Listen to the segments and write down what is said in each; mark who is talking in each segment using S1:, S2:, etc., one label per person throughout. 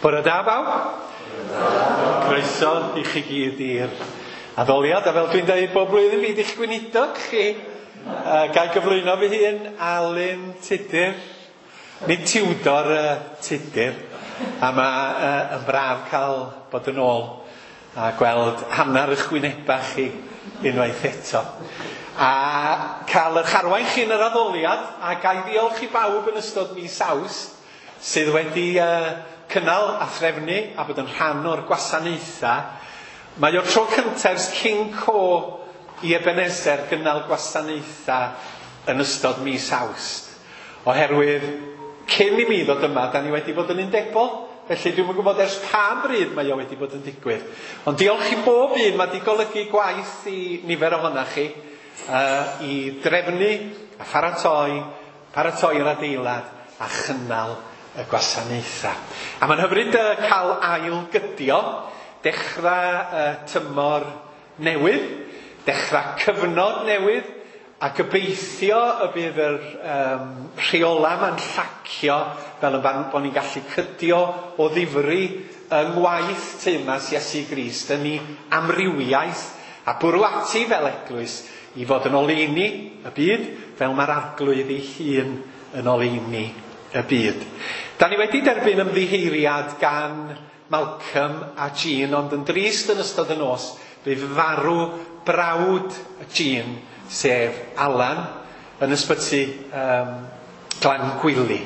S1: Bore da bawb. Croeso i chi gyd i'r addoliad, a fel dwi'n dweud bob blwyddyn fi di'ch gweinidog chi. Ga i gyflwyno fy hun, Alun Tudur, nid Tiwdor Tudur, a mae yn braf cael bod yn ôl a gweld hanner eich wynebau chi unwaith eto. A cael eich arwain chi yn yr addoliad, a ga i ddiolch i bawb yn ystod mis Awst sydd wedi cynnal a threfnu a bod yn rhan o'r gwasanaethau. Mae o'r tro cyntaf ers cyn co i Ebenezer gynnal gwasanaethau yn ystod mis Awst. Oherwydd cyn i mi ddod yma, da ni wedi bod yn undebol, felly dwi'm yn gwybod ers pa bryd mae o wedi bod yn digwydd. Ond diolch i bob un, mae wedi golygu gwaith i nifer ohonach chi i drefnu a pharatoi, paratoi'r adeilad a chynnal y gwasanaethau. A mae'n hyfryd cael ail gydio, dechrau tymor newydd, dechrau cyfnod newydd, a gobeithio y bydd yr rheola ma'n llacio fel y bod ni'n gallu cydio o ddifri yng ngwaith teyrnas Iesu Grist yn ei amrywiaeth a bwrw ati fel eglwys i fod yn oleuni y byd fel mae'r Arglwydd ei hun yn oleuni y byd. Da ni wedi derbyn ymddiheuriad gan Malcolm a Jean, ond yn drist yn ystod y nos, bu farw brawd Jean, sef Alan, yn ysbyty Glangwili.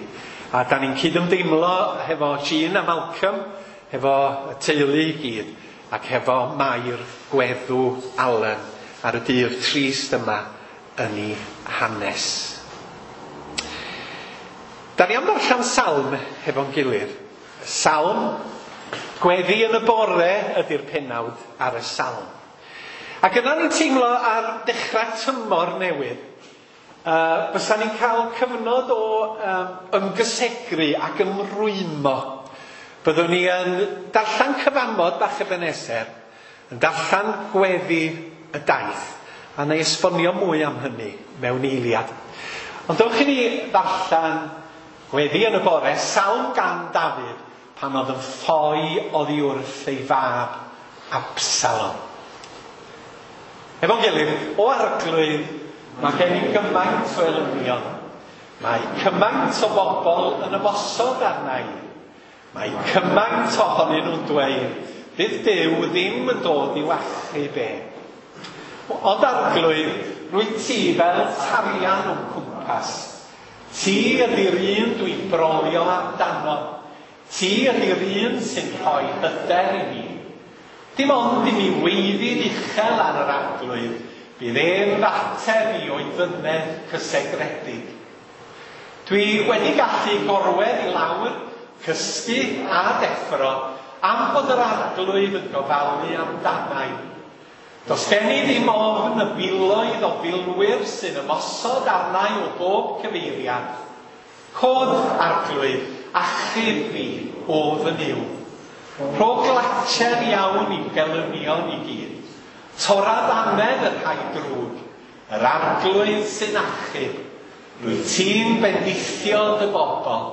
S1: A da ni'n cydymdeimlo hefo Jean a Malcolm, hefo y teulu i gyd, ac hefo Mair gweddw Alan ar y dydd trist yma yn ei hanes. Da ni am ddarllen salm hefo'n gilydd. Salm, gweddi yn y bore ydy'r penawd ar y salm. Ac yna ni'n teimlo ar dechrau tymor newydd, fysa ni'n cael cyfnod o ymgysegru ac ymrwymo. Byddwn ni yn darllen cyfamod bach Ebenezer, yn darllen gweddi y daith, a na i esbonio mwy am hynny mewn eiliad. Ond dewch i ni ddarllen gweddi yn y bore, salm gan Dafydd, pan oedd yn ffoi oddi wrth ei fab Absalom. Efo'n gilydd, o Arglwydd, mae gen i gymaint o elynion. Mae cymaint o bobl yn ymosod arna i. Mae cymaint ohonyn nhw'n dweud, fydd Duw ddim yn dod i'w achub e. Ond Arglwydd, rwyt ti fel tarian o'm cwmpas. Ti ydy'r un dwi'n brolio amdano. Ti ydy'r un sy'n rhoi hyder i mi. Dim ond i mi weiddi'n uchel ar yr Arglwydd, bydd e'n f'ateb i o'i fynedd cysegredig. Dwi wedi gallu gorwedd i lawr, cysgu a deffro, am fod yr Arglwydd yn gofalu amdanai. Does gen i ddim ofn y filoedd o filwyr sy'n ymosod arnai o bob cyfeiriad. Cod, Arglwydd, achub fi o fy Nuw. Rho glatser iawn i'w gelynion i gyd. Tora ddannedd y rhai drwg, yr Arglwydd sy'n achub. Rwyt ti'n bendithio dy bobl.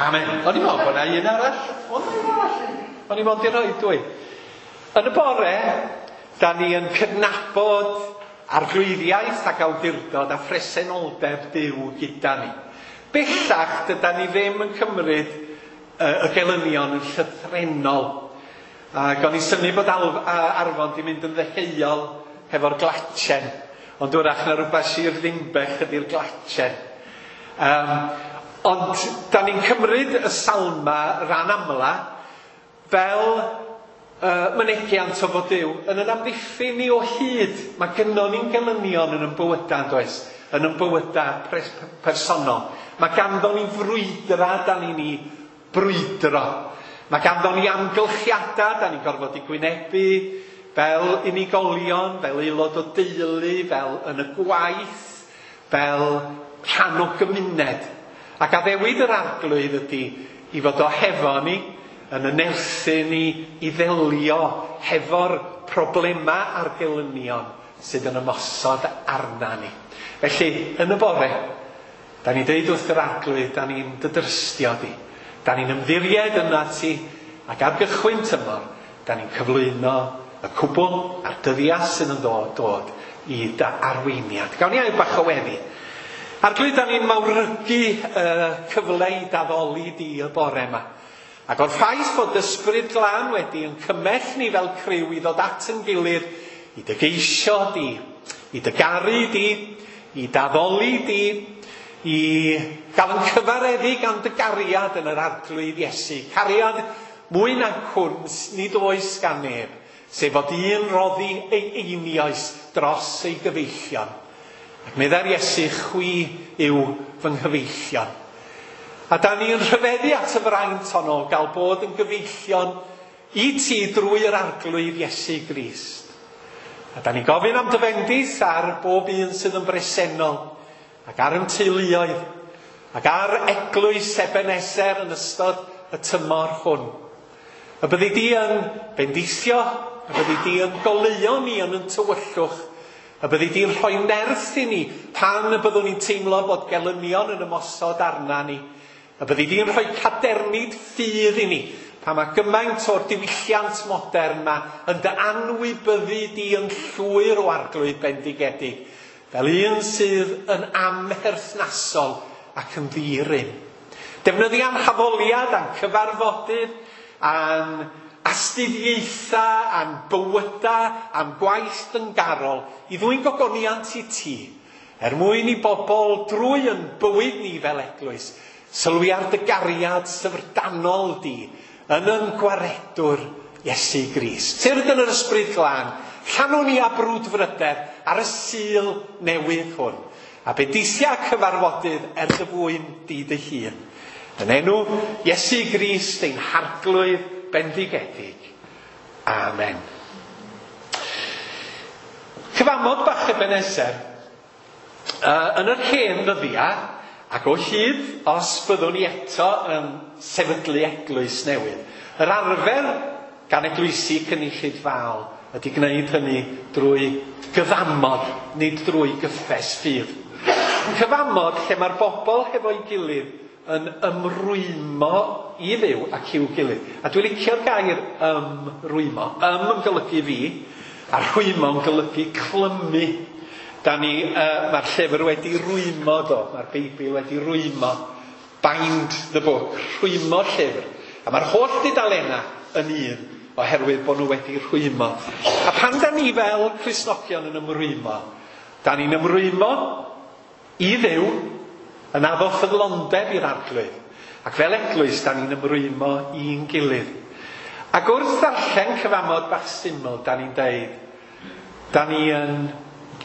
S1: Amen. O'n i'n meddwl bod 'na un arall. Oedd 'na un arall? O'n i'n meddwl di rhoi dwy. Yn y bore, da ni yn cydnabod arglwyddiaeth ac awdurdod a phresenoldeb Duw gyda ni. Bellach, dyda ni ddim yn cymryd y gelynion yn llythrennol. Ac o'n i'n synnu bod Arfon di mynd yn ddeheuol hefo'r glatsen. Ond wrach na rhywbeth Sir Ddinbych ydy'r glatsen. Ond da ni'n cymryd y salma ran amla fel mynegiant o fod Duw yn yn amddiffyn ni o hyd. Mae gynnon ni'n gelynion yn ein bywydau, yn does? Yn ein bywydau personol. Mae ganddo ni frwydra da ni'n ei brwydro. Mae ganddo ni amgylchiadau da ni'n gorfod i gwynebu fel unigolion, fel aelod o deulu, fel yn y gwaith, fel rhan o gymuned. Ac addewid yr Arglwydd ydy i fod o hefo ni, yn y nerthu ni i ddelio hefo'r problemau a'r gelynion sydd yn ymosod arna ni. Felly, yn y bore, Da ni'n deud wrth yr Arglwydd, da ni'n dy drystio di. Da ni'n ymddiried yna ti, ac ar gychwyn tymor, da ni'n cyflwyno y cwbl a'r dyddiau sydd yn dod i dy arweiniad. Gawn ni air bach o weddi. Arglwydd, da ni'n mawrygu y cyfle i d'addoli di y bore yma. Ac o'r ffaith bod Ysbryd Glân wedi yn cymell ni fel criw i ddod at yn gilydd, i dy geisio di, i dy garu di, i d'addoli di, i gael yn cyfareddu gan dy gariad yn yr Arglwydd Iesu. Cariad mwy na hwn nid oes gan neb, sef fod un roddi ei einioes dros ei gyfeillion. Ac meddai'r Iesu, chwi yw fy nghyfeillion. A da ni'n rhyfeddu at y fraint honno gael bod yn gyfeillion i ti drwy yr Arglwydd Iesu Grist. A da ni'n gofyn am dy fendith ar bob un sydd yn bresennol, ac ar yn teuluoedd, ac ar eglwys Ebeneser yn ystod y tymor hwn. Y byddi di yn bendithio, y byddi di yn goleuo ni yn yn tywyllwch, y byddi di'n rhoi nerth i ni pan y byddwn ni'n teimlo bod gelynion yn ymosod arna ni, y byddi di'n rhoi cadernid ffydd i ni pan mae gymaint o'r diwylliant modern ma yn dy anwybyddu di yn llwyr o Arglwydd bendigedig, fel un sydd yn amherthnasol ac yn ddi-rym. Defnyddia'n haddoliad a'n cyfarfodydd, a'n astudiaethau, a'n bywydau, a'n gwaith dyngarol i ddwyn gogoniant i ti, er mwyn i bobl drwy yn bywyd ni fel eglwys, sylwi ar dy gariad syfrdanol di yn yn gwaredwr Iesu Grist. Tyrd yn yr Ysbryd Glân, llanwn ni â brwdfrydedd ar y Sul newydd hwn, a bendithia cyfarfodydd er dy fwyn di dy hun. Yn enw Iesu Grist ein Harglwydd bendigedig. Amen. Cyfamod bach Ebeneser, yn yr hen ddyddiau, ac o hyd os byddwn ni eto yn sefydlu eglwys newydd, yr arfer gan eglwysi cynulleidfaol ydy gwneud hynny drwy gyfamod, nid drwy gyffes ffydd. Cyfamod lle mae'r bobl hefo'i gilydd yn ymrwymo i Dduw ac i'w gilydd. A dwi'n licio'r gair ymrwymo. Ym yn golygu fi, a rhwymo yn golygu clymu. Da ni, mae'r llyfr wedi rwymo do, mae'r Beibl wedi rwymo. Bind the book, rhwymo llyfr. A mae'r holl dudalennau yn un, oherwydd bod nhw wedi rhwymo. A pan da ni fel Cristnogion yn ymrwymo, da ni'n ymrwymo i Dduw, yn addo ffyddlondeb i'r Arglwydd. Ac fel eglwys, da ni'n ymrwymo i'n gilydd. Ac wrth ddarllen cyfamod bach syml, da ni'n deud, da ni yn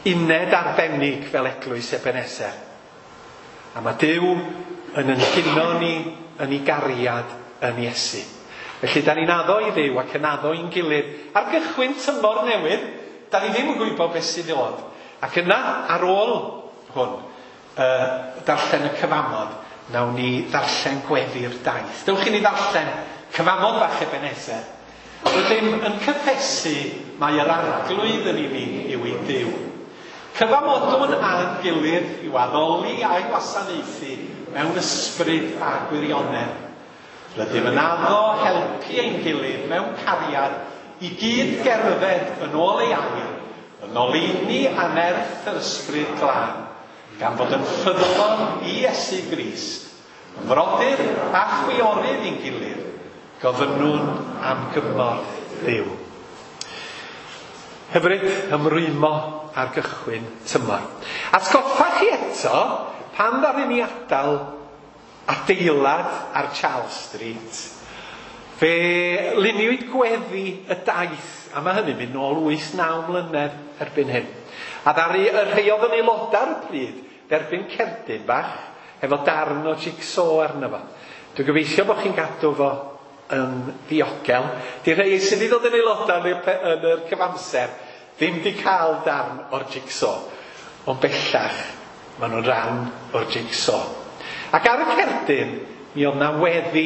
S1: uned arbennig fel eglwys Ebeneser. A mae Duw yn ynhuno ni yn ei gariad yn Iesu. Felly, da ni'n addo i Dduw ac yn addo i'n gilydd. Ar gychwyn tymor newydd, da ni ddim yn gwybod beth sydd i ddod. Ac yna, ar ôl hwn, darllen y cyfamod, nawn ni ddarllen gweddi'r daith. Dewch i ni ddarllen cyfamod bach Ebeneser. Rydym yn cyffesu mai yr Arglwydd yn unig yw ein Duw. Cyfamodwn â'n gilydd i'w addoli a'i wasanaethu mewn ysbryd a gwirionedd. Rydym yn addo helpu ein gilydd mewn cariad i gyd gerdded yn ôl ei air, yn oleuni a nerth yr Ysbryd Glân, gan fod yn ffyddlon i Iesu Grist, yn frodyr a chwiorydd i'n gilydd, gofynnwn am gymorth Dduw. Hyfryd ymrwymo ar gychwyn tymor. Atgoffa chi eto, pan ddaru ni adael adeilad ar Charles Street, fe luniwyd gweddi y daith, a mae hynny'n mynd nôl 8-9 mlynedd erbyn hyn. A ddaru y rhai oedd yn aelodau ar y pryd dderbyn cerdyn bach efo darn o jigsaw arno fo. Dwi'n gobeithio bod chi'n gadw fo yn ddiogel. Di rhai sydd wedi dod yn aelodau yn yr cyfamser ddim wedi cael darn o'r jigsaw, ond bellach maen nhw'n rhan o'r jigsaw. Ac ar y cerdyn, mi oedd na weddi.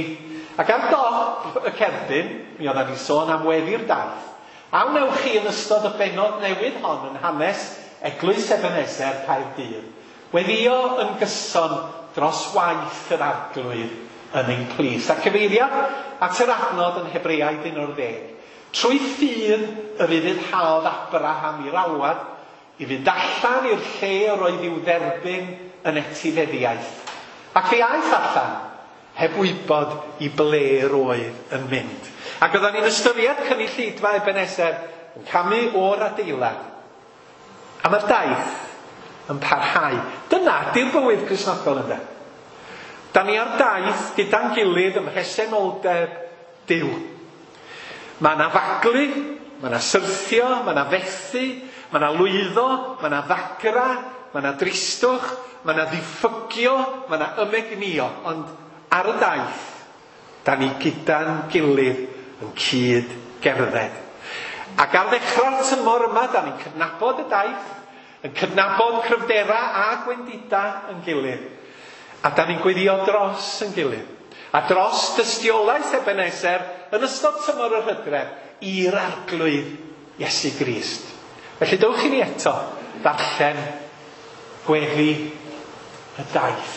S1: Ac ar dop y cerdyn, mi oedd ni sôn am weddi'r daith. A wnewch chi yn ystod y bennod newydd hon yn hanes Eglwys Ebeneser Caerdydd, weddïo yn gyson dros waith yr Arglwydd yn ein plith. A cyfeiriad at yr adnod yn Hebreaid 11. Trwy ffydd yr ufuddhaodd Abraham i'r alwad i fynd allan i'r lle yr oedd i'w dderbyn yn etifeddiaeth. Ac fe aeth allan heb wybod i ble yr oedd yn mynd. Ac oedden ni'n ystyried cynulleidfa Ebeneser yn camu o'r adeilad. A mae'r daith yn parhau. Dyna di'r bywyd Cristnogol, ynde. Da ni ar daith gyda'n gilydd ym mhresenoldeb Duw. Mae yna faglu, mae yna syrthio, mae yna fethu, mae yna lwyddo, mae yna ddagra, mae yna dristwch, mae yna ddiffygio, mae yna ymegnio. Ond ar y daith, da ni gyda'n gilydd yn cyd gerdded. Ac ar ddechrau'r tymor yma, da ni'n cydnabod y daith, yn cydnabod cryfdera a gwendida yn gilydd. A da ni'n gweddio dros yn gilydd. A dros dystiolaeth Ebeneser yn ystod tymor yr hydref i'r Arglwydd Iesu Grist. Felly dewch i ni eto ddarllen gweddi y daith.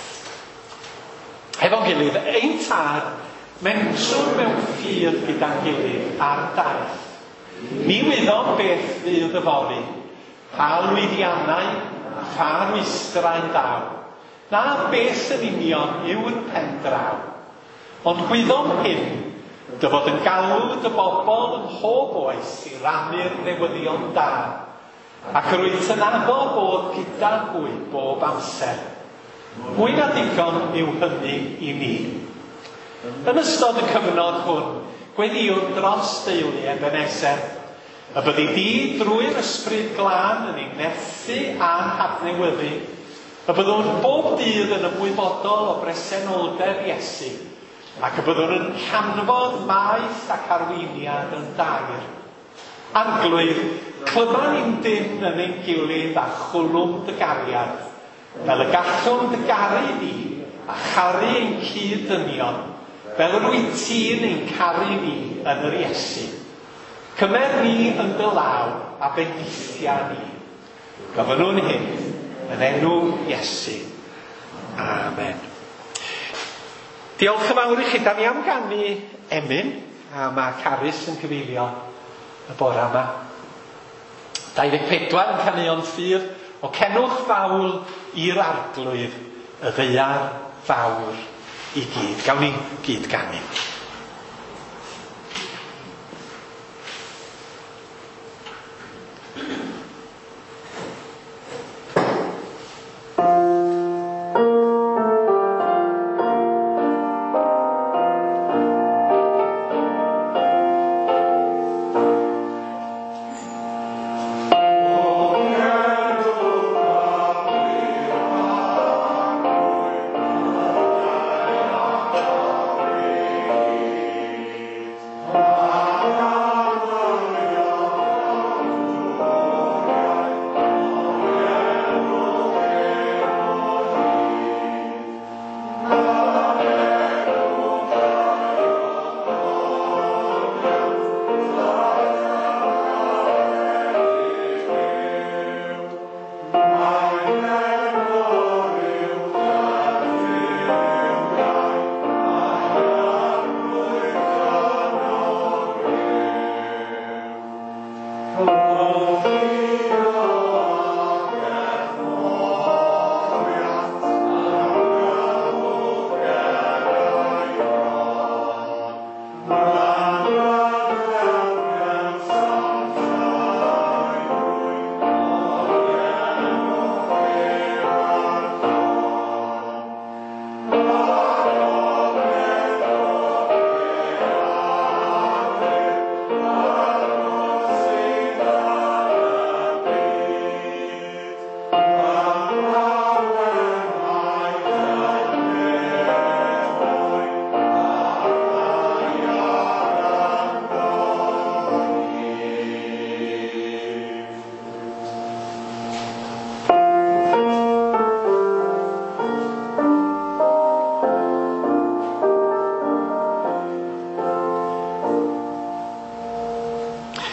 S1: Hefo'n gilydd, ein tad, mentrwn mewn ffydd gyda'n gilydd ar daith. Ni wyddom beth fydd yfory, pa lwyddiannau a pha rwystrau ddaw, na beth yn union yw'r pen draw. Ond gwyddom hyn, dy fod yn galw dy bobl ym mhob oes i rannu'r newyddion da, ac yr wyt yn addo bod gyda hwy bob amser. Mwy na digon yw hynny i ni. Yn ystod y cyfnod hwn, gweddïwn dros deulu Ebeneser, y byddi di drwy'r ysbryd glân yn ei nerthu a'n hadnewyddu, y byddwn bob dydd yn ymwybodol o bresenoldeb Iesu, ac y byddwn yn canfod maeth ac arweiniad yn dair. Arglwydd, clyma ni'n dynn yn ein gilydd a chwlwm dy gariad, fel y gallwn dy garu di a charu ein cyd-ddynion, fel yr wyt ti'n ein caru ni yn yr Iesu. Cymer ni yn dy law a bendithia ni. Gofynnwn hyn yn enw Iesu. Amen. Diolch yn fawr i chi. Da ni am ganu emyn, a mae Carys yn cyfeilio y bore yma. 24 yn caneuon ffydd o cenwch fawl i'r Arglwydd, y ddaear fawr i gyd. Gawn ni gyd ganu.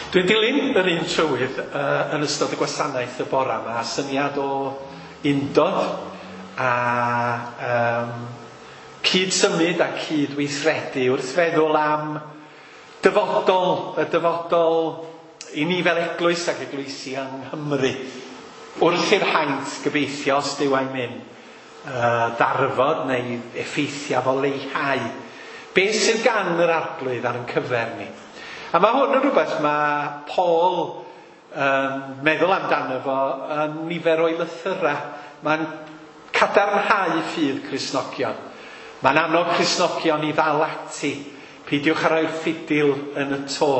S1: Dwi'n dilyn yr un trywydd yn ystod y gwasanaeth y bora yma, syniad o undod a cyd-symud a cyd-weithredu wrth feddwl am dyfodol, y dyfodol i ni fel eglwys ac eglwysi yng Nghymru. Wrth i'r haint gobeithio, os Duw a'i myn, ddarfod neu effeithiau fo leihau. Be sydd gan yr Arglwydd ar ein cyfer ni? A mae hwn yn rhywbeth mae Paul yn meddwl amdano fo yn nifer o'i lythyrau. Mae'n cadarnhau ffydd Cristnogion. Mae'n annog Cristnogion i ddal ati. Peidiwch â rhoi'r ffidil yn y to.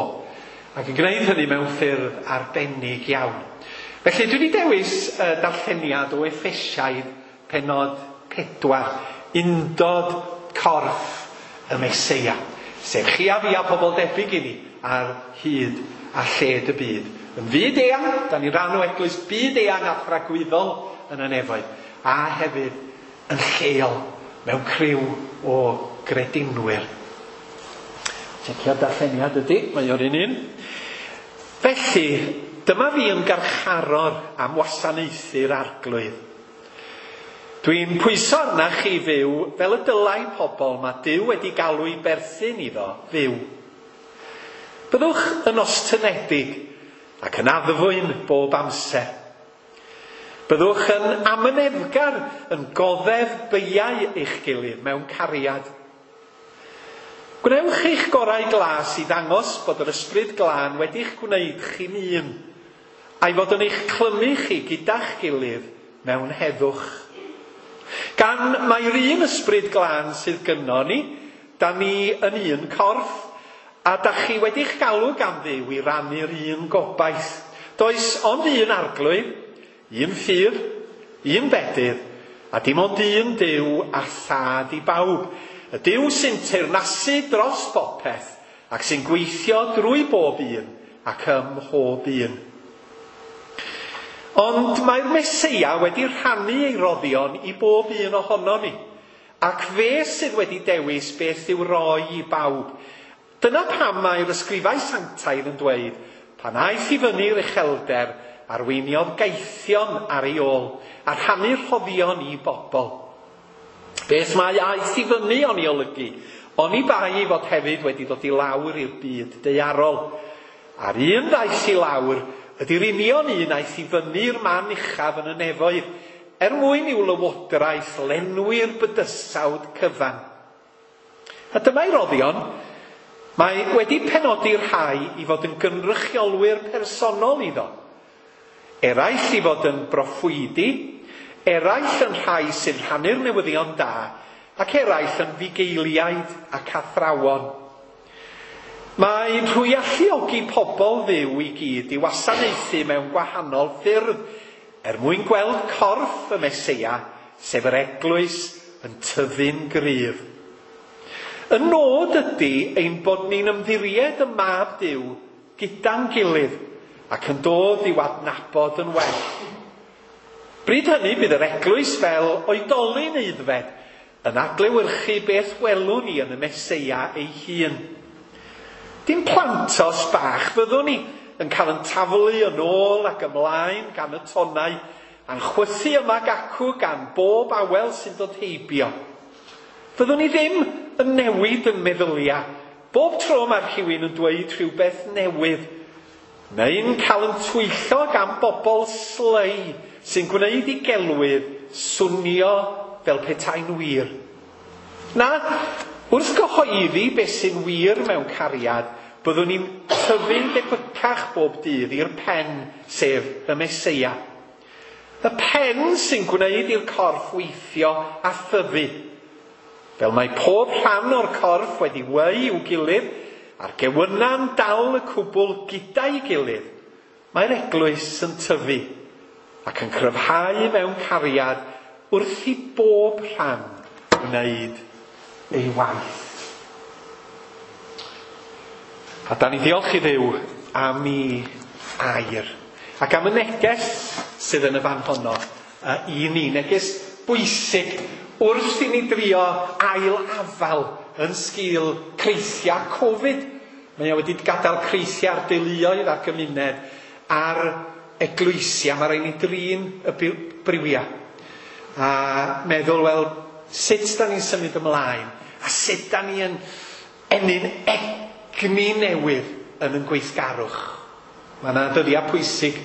S1: Ac yn gwneud hynny mewn ffyrdd arbennig iawn. Felly dwi wedi dewis darlleniad o Effesiaid pennod 4, undod corff y Meseia. Sef chi a fi a pobl debyg i ni ar hyd a lled y byd. Yn fyd eang, da ni'n rhan o eglwys byd eang a thragwyddol yn y nefoedd, a hefyd yn lleol mewn criw o gredinwyr. Checio'r darlleniad ydy, mae o'r un un. Felly, dyma fi yn garcharor am wasanaethu'r Arglwydd. Dwi'n pwyso arna chi fyw fel y dylai pobl mae Duw wedi galw i berthyn iddo fyw. Byddwch yn ostynedig ac yn addfwyn bob amser. Byddwch yn amyneddgar yn goddef beiau eich gilydd mewn cariad. Gwnewch eich gorau glas i ddangos bod yr Ysbryd Glân wedi'ch gwneud chi'n un, a'i fod yn eich clymu chi gyda'ch gilydd mewn heddwch. Gan mai'r un Ysbryd Glân sydd gynno ni, da ni yn un corff, a da chi wedi'ch galw gan Dduw i rannu'r un gobaith. Does ond un Arglwydd, un ffydd, un bedydd, a dim ond un Duw a Thad i bawb. Y Duw sy'n teyrnasu dros bopeth ac sy'n gweithio drwy bob un ac ym mhob un. Ond mae'r Meseia wedi rhannu ei roddion i bob un ohonon ni, ac fe sydd wedi dewis beth i'w roi i bawb. Dyna pam mae'r ysgrifau sanctaidd yn dweud, pan aeth i fyny'r uchelder, arweiniodd gaethion ar ei ôl, a rhannu rhoddion i bobl. Beth mae aeth i fyny o'n i olygu? Oni bai ei fod hefyd wedi dod i lawr i'r byd daearol. A'r un ddaeth i lawr ydy'r union un aeth i fyny'r man uchaf yn y nefoedd, er mwyn i'w lywodraeth lenwi'r bydysawd cyfan. A dyma'i roddion. Mae wedi penodi rhai i fod yn gynrychiolwyr personol iddo. Eraill i fod yn broffwydi, eraill yn rhai sy'n rhannu'r newyddion da, ac eraill yn fugeiliaid ac athrawon. Mae trwy alluogi pobl Dduw i gyd i wasanaethu mewn gwahanol ffyrdd, er mwyn gweld corff y Meseia, sef yr eglwys, yn tyfu'n gryf. Y nod ydy ein bod ni'n ymddiried y Mab Duw gyda'n gilydd ac yn dod i'w adnabod yn well. Bryd hynny bydd yr eglwys fel oedolyn aeddfed yn adlewyrchu beth welwn ni yn y Meseia ei hun. Dim plantos bach fyddwn ni yn cael yn taflu yn ôl ac ymlaen gan y tonnau a'n chwythu yma ac acw gan bob awel sy'n dod heibio. Fyddwn ni ddim yn newid yn meddyliau. Bob tro mae rhywun yn dweud rhywbeth newydd, neu'n cael yn twyllo gan bobl slei sy'n gwneud i gelwydd swnio fel petai'n wir. Na, wrth gyhoeddi beth sy'n wir mewn cariad, byddwn ni'n tyfu'n debycach bob dydd i'r pen, sef y Meseia. Y pen sy'n gwneud i'r corff weithio a thyfu. Fel mae pob rhan o'r corff wedi weu i'w gilydd, a'r gewyna'n dal y cwbl gyda'i gilydd, mae'r eglwys yn tyfu ac yn cryfhau mewn cariad wrth i bob rhan wneud ei waith. A da ni ddiolch i Dduw am ei air ac am y neges sydd yn y fan honno i ni, neges bwysig wrth i ni drio ail afal yn sgil creithiau Covid. Mae o wedi gadael creithiau ar deuluoedd a'r gymuned a'r eglwysia. Mae rhaid ni drin y briwiau. A meddwl, wel, sut da ni'n symud ymlaen? A sut da ni yn ennyn egni newydd yn ein gweithgarwch? Mae yna dyddiau pwysig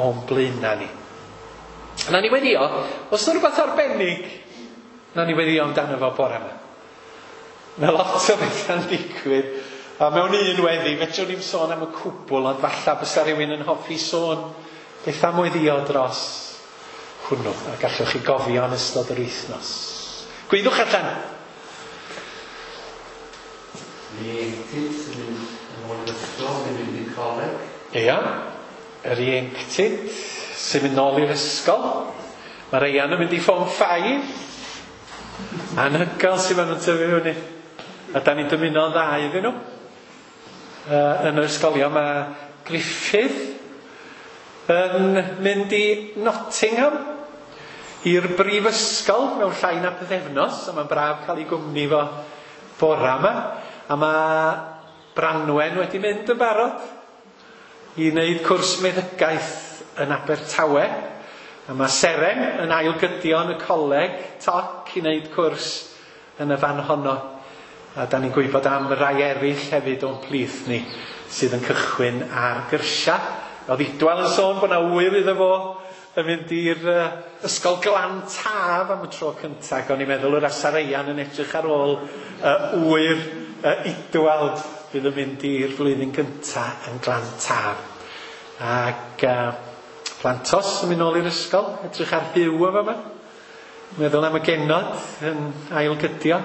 S1: o'n blaenau ni. A na ni weddio, os yna rhywbeth arbennig, na ni weddio amdano fo bore yma. Mae lot o bethau'n digwydd. A mewn un weddi, fedrwn ni'm sôn am y cwbl, ond falle bysa rhywun yn hoffi sôn beth am weddio dros hwnnw. A gallwch chi gofio yn ystod yr wythnos. Gwyddwch allan!
S2: Ieuenctid sy'n mynd yn ôl i'r ysgol, neu mynd i'r coleg.
S1: Ia, yr ieuenctid sy'n mynd nôl i'r ysgol. Mae Reian yn mynd i Form 5. Anhygoel sy'n maen nhw'n tyfu fyny. A da ni'n dymuno'n dda iddyn nhw. Yn yr ysgolion mae Griffith yn mynd i Nottingham i'r brifysgol mewn llai na pythefnos, a mae'n braf cael ei gwmni fo bora yma. A mae Branwen wedi mynd yn barod i wneud cwrs meddygaeth yn Abertawe. A mae Seren yn ailgydio yn y coleg toc i wneud cwrs yn y fan honno. A da ni'n gwybod am rai eraill hefyd o'n plith ni sydd yn cychwyn ar gyrsia. Oedd Idwal yn sôn bod yna ŵyr iddo fo yn mynd i'r ysgol Glan Taf am y tro cyntaf. Ac o'n i'n meddwl yr Asareian yn edrych ar ôl ŵyr Idwal fydd yn mynd i'r flwyddyn gyntaf yn Glan Taf. Ac Plantos yn mynd nôl i'r ysgol, edrych ar Huw o fama. Meddwl am y genod yn ailgydio.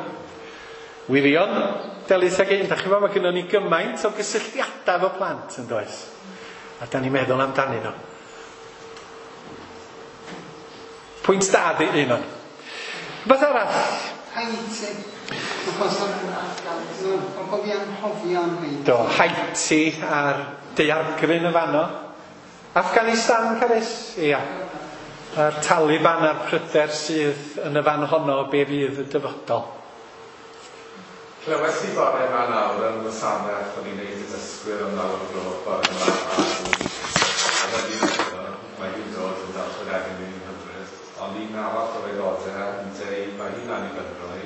S1: Wirion, Delyth ag un, da chi'n gwybod, mae gynnon ni gymaint o gysylltiadau efo plant yn does. A da ni'n meddwl amdanyn nhw. Pwynt da di un o'n. Rhywbeth arall?
S3: Haiti. Mae'n bod fi anghofio am Haiti.
S1: Do, Haiti a'r daeargryn y fanno. Afghanistan, Carys? Ia. A'r Taliban a'r pryder sydd yn y fan honno be fydd y dyfodol.
S4: Clywes i bore yma nawr yn wasanaeth o'n i'n neud y dysgwyr am 9 o'r gloch bore yma. A mae hi'n dod yn darllen egin i'n hyfryd. Ond un arall o'r aelodau yn deud mae hi'n annibynnol.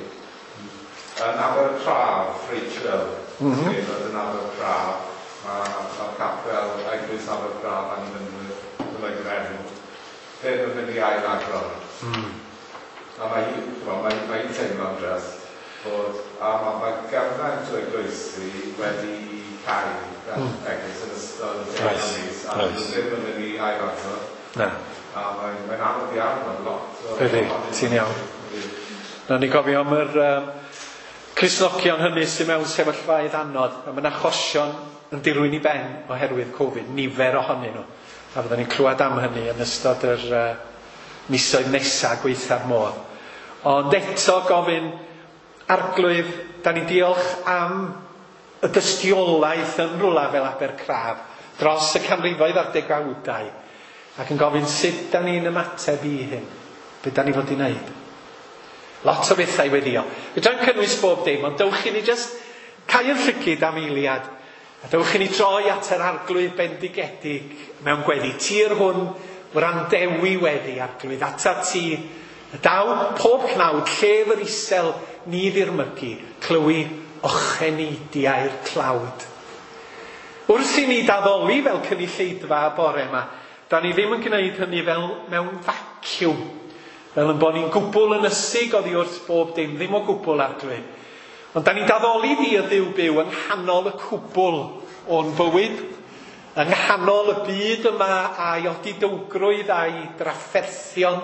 S4: Yn Abercraf, Rachel, yn Abercraf, mae'r capel Eglwys Abercraf annibynnwyr, yn enw, ddim yn mynd i ail agor. A mae hi'n teimlo'n drist bod, a mae gymaint o eglwysi wedi cau eglwys yn ystod y mis, a ddim yn mynd i ail agor.
S1: Na.
S4: A mae'n anodd iawn, mae'n lot o...
S1: Ydy, ti'n iawn. Na ni gofio am yr Cristnogion hynny sydd mewn sefyllfaoedd anodd, a mae'n achosion yn dirwyn i ben oherwydd Covid, nifer ohonyn nhw. A fyddwn ni'n clywed am hynny yn ystod yr misoedd nesaf gweitha'r modd. Ond eto gofyn, Arglwydd, da ni'n diolch am y dystiolaeth yn rwla fel Abercraf dros y canrifoedd a'r degawdau, ac yn gofyn sut da ni'n ymateb i hyn, be da ni fod i wneud. Lot o bethau weddio. Fedrai'm cynnwys bob dim, ond dewch i ni jyst cau'r llygid am eiliad, a dewch i ni droi at yr Arglwydd bendigedig mewn gweddi. Tir hwn wrandewi weddi, Arglwydd, atat ti y daw pob cnawd, llef yr isel ni ddirmygu, clywi ocheneidiau'r tlawd. Wrth i ni daddoli fel cynulleidfa y bore yma, da ni ddim yn gwneud hynny fel mewn vacuum, fel yn bod ni'n gwbl ynysig oddi wrth bob dim, ddim o gwbl Arglwydd. Ond da ni'n daddoli di y Dduw byw yng nghanol y cwbl o'n bywyd, yng nghanol y byd yma a'i odidowgrwydd a'i drafferthion,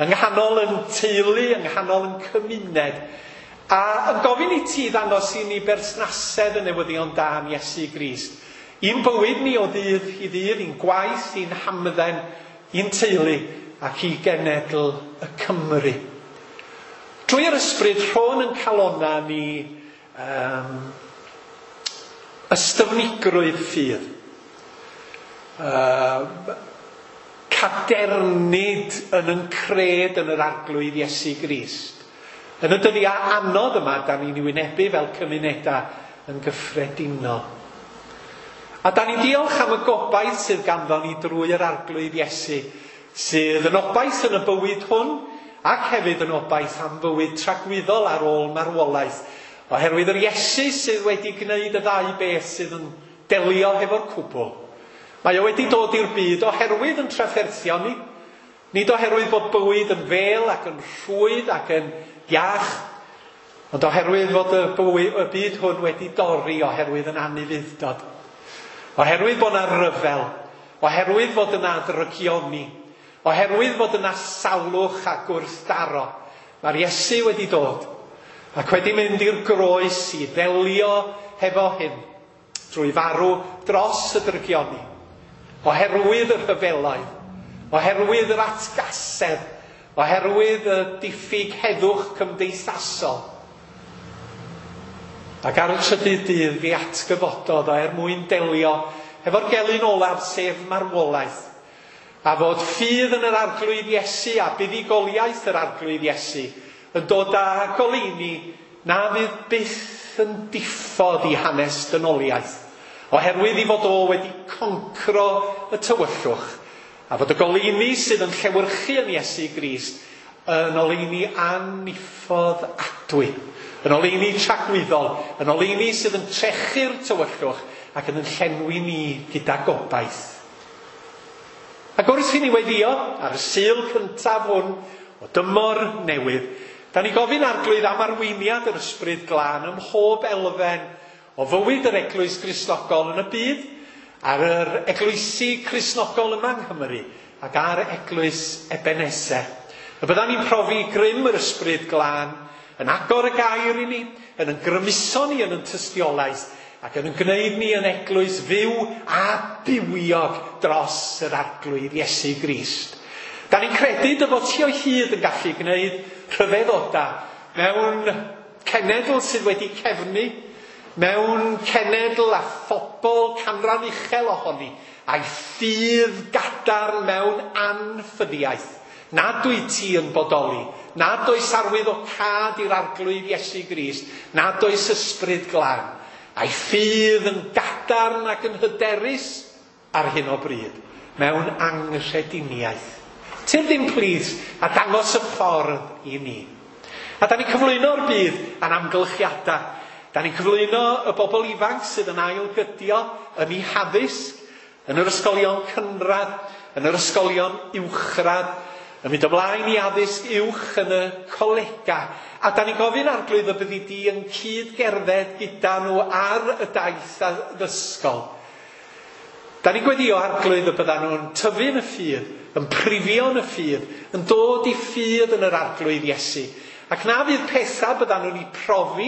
S1: yng nghanol yn teulu, yng nghanol yn cymuned, a yn gofyn i ti ddangos i ni berthnasedd y newyddion da am Iesu Grist. I'n bywyd ni o ddydd i ddydd, i'n gwaith, i'n hamdden, i'n teulu, ac i genedl y Cymru. Drwy'r ysbryd, rhôn yn calona ni ystyfnigrwydd ffydd. Cadernid yn yn cred yn yr Arglwydd Iesu Grist. Yn y dyddiau anodd yma, da ni'n ei wynebu fel cymunedau yn gyffredinol. A da ni'n diolch am y gobaith sydd ganddo ni drwy yr Arglwydd Iesu, sydd yn obaith yn y bywyd hwn Ac hefyd yn obaith am fywyd tragwyddol ar ôl marwolaeth, oherwydd yr Iesu sydd wedi gwneud y ddau beth sydd yn delio hefo'r cwbl. Mae o wedi dod i'r byd oherwydd yn trafferthion ni, nid oherwydd bod bywyd yn fel ac yn rhwydd ac yn iach, ond oherwydd fod y, bywyd, y byd hwn wedi dorri oherwydd yn anufudd-dod. Oherwydd bod yna ryfel, oherwydd fod yna ddrygioni, oherwydd fod yna salwch a gwrthdaro, mae'r Iesu wedi dod ac wedi mynd i'r groes i ddelio hefo hyn drwy farw dros y drygioni, oherwydd y rhyfeloedd, oherwydd yr atgasedd, oherwydd y diffyg heddwch cymdeithasol. Ac ar y trydydd dydd fi atgyfododd o er mwyn delio hefo'r gelyn olaf, sef marwolaeth, a fod ffydd yn yr Arglwydd Iesu a buddugoliaeth yr Arglwydd Iesu yn dod â goleuni na fydd byth yn diffodd i hanes dynoliaeth, oherwydd i fod o wedi concro y tywyllwch, a fod y goleuni sydd yn llewyrchu yn Iesu Grist yn oleuni anniffodd adwy, yn oleuni tragwyddol, yn oleuni sydd yn trechu'r tywyllwch ac yn llenwi ni gyda gobaith. Ac wrth i ni weddio ar y Sul cyntaf hwn o dymor newydd, da ni gofyn Arglwydd am arweiniad yr Ysbryd Glân ym mhob elfen o fywyd yr Eglwys Gristnogol yn y byd, ar yr eglwysi Cristnogol yma yng Nghymru ac ar Eglwys Ebeneser. Y byddan ni'n profi grym yr Ysbryd Glân yn agor y gair i ni, yn yn grymuso ni yn yn tystiolaeth, ac yn gwneud ni yn eglwys fyw a bywiog dros yr Arglwydd Iesu Grist. Da ni'n credu dy fod ti o hyd yn gallu gwneud rhyfeddoda mewn cenedl sydd wedi cefnu, mewn cenedl a phobl canran uchel ohoni, a'i ffydd gadarn mewn anffyddiaeth. Nad wyt ti yn bodoli, nad oes arwydd o cad i'r Arglwydd Iesu Grist, nad oes ysbryd glân, a'i ffydd yn gadarn ac yn hyderus ar hyn o bryd, mewn anghrediniaeth. Tyrd i'n plith a dangos y ffordd i ni. A da ni'n cyflwyno'r byd a'n amgylchiadau. Da ni'n cyflwyno y bobl ifanc sydd yn ailgydio yn eu haddysg, yn yr ysgolion cynradd, yn yr ysgolion uwchradd, yn mynd ymlaen i addysg uwch yn y colega. A da ni'n gofyn Arglwydd y byddi di yn cyd-gerdded gyda nhw ar y daith addysgol. Da ni'n gweddio Arglwydd y byddan nhw'n tyfu yn y ffydd, yn prifio yn y ffydd, yn dod i ffydd yn yr Arglwydd Iesu. Ac na fydd pethau byddan nhw'n ei profi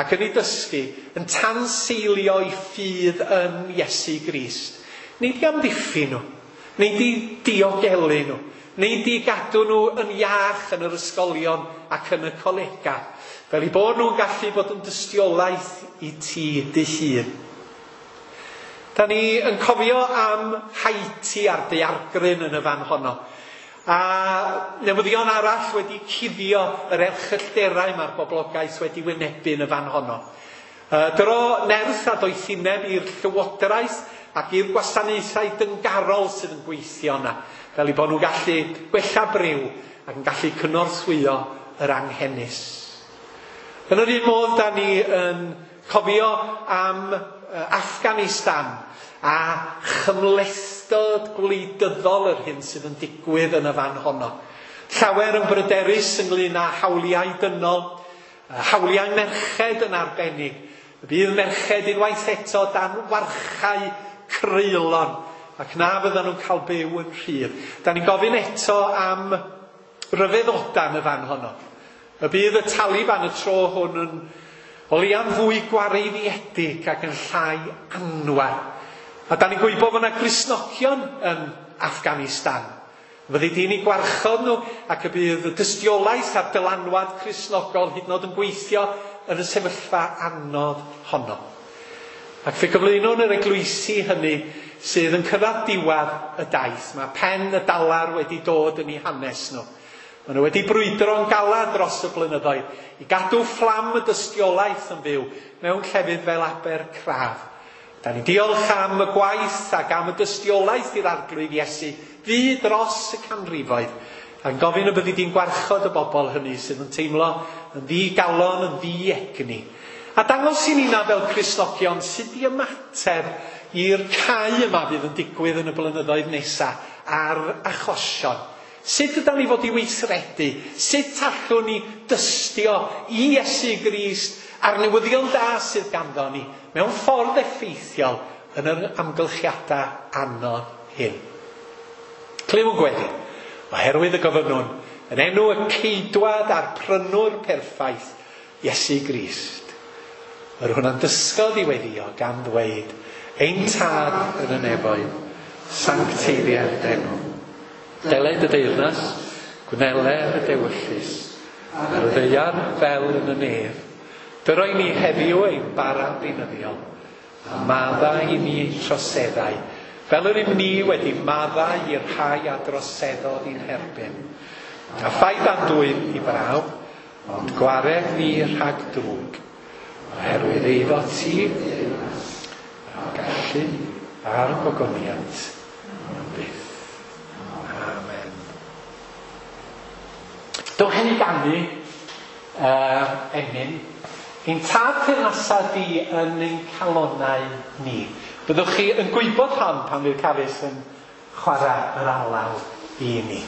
S1: ac yn ei dysgu yn tanseilio i ffydd yn Iesu Grist. Nid i amddiffyn nhw, nid i diogelu nhw, nid i gadw nhw yn iach yn yr ysgolion ac yn y colega, fel i bod nhw'n gallu bod yn dystiolaeth i ti dy hun. Da ni yn cofio am Haiti a'r daeargryn yn y fan honno. A newyddion arall wedi cuddio yr erchyllterau mae'r boblogaeth wedi wynebu yn y fan honno. Dyro nerth a doethineb i'r llywodraeth ac i'r gwasanaethau dyngarol sydd yn gweithio yna, fel i bod nhw'n gallu gwella briw ac yn gallu cynorthwyo yr anghenus. Yn yr un modd, da ni yn cofio am Afghanistan a chymhlethdod gwleidyddol yr hyn sydd yn digwydd yn y fan honno. Llawer yn bryderus ynglyn â hawliau dynol, hawliau merched yn arbennig. Y bydd merched unwaith eto dan warchau creulon ac na fyddan nhw'n cael byw yn rhydd. Da ni'n gofyn eto am ryfeddoda yn y fan honno. Y bydd y Taliban y tro hwn yn o leia'n fwy gwareiddiedig ac yn llai anwar. A da ni'n gwybod fod yna Gristnogion yn Afghanistan. Fyddi di'n eu gwarchod nhw ac y bydd y dystiolaeth a'r dylanwad Cristnogol hyd yn oed yn gweithio yn y sefyllfa anodd honno. Ac fe gyflwynwn yr eglwysi hynny sydd yn cyrraedd diwedd y daith. Mae pen y dalar wedi dod yn eu hanes nhw. Maen nhw wedi brwydro'n galad dros y blynyddoedd i gadw fflam y dystiolaeth yn fyw mewn llefydd fel Abercraf. Da ni'n diolch am y gwaith ac am y dystiolaeth i'r Arglwydd Iesu fu dros y canrifoedd. A'n gofyn y byddi di'n gwarchod y bobl hynny sydd yn teimlo yn ddigalon, yn ddiegni. A dangos i ni na fel Cristnogion sut i ymateb i'r cau yma fydd yn digwydd yn y blynyddoedd nesaf ar achosion. Sut ydan ni fod i weithredu? Sut allwn ni dystio i Iesu Grist a'r newyddion da sydd ganddo ni mewn ffordd effeithiol yn yr amgylchiadau anodd hyn? Clyw yn gweddi, oherwydd y gofynnwn yn enw y ceidwad a'r prynwr perffaith, Iesu Grist. Yr hwnna'n dysgodd i weddio gan ddweud, ein tad yn y nefoedd, sancteiddier d'enw. Deled y deyrnas, gwneler y dewyllys, ar y ddaear fel yn y nef. Dyroi ni heddiw ein bara beunyddiol, a maddau i ni ein troseddau, fel yr ym ni wedi maddau i'r rhai a droseddodd i'n herbyn. A phaid â'n dwyn i brawf, ond gwared ni rhag drwg, oherwydd eiddo ti, a'r gallu a'r gogoniant am byth. Amen. Dowch i ni ganu emyn. Ein tad teyrnasa di yn ein calonnau ni. Byddwch chi yn gwybod hon pan fydd Carys yn chwarae yr alaw i ni.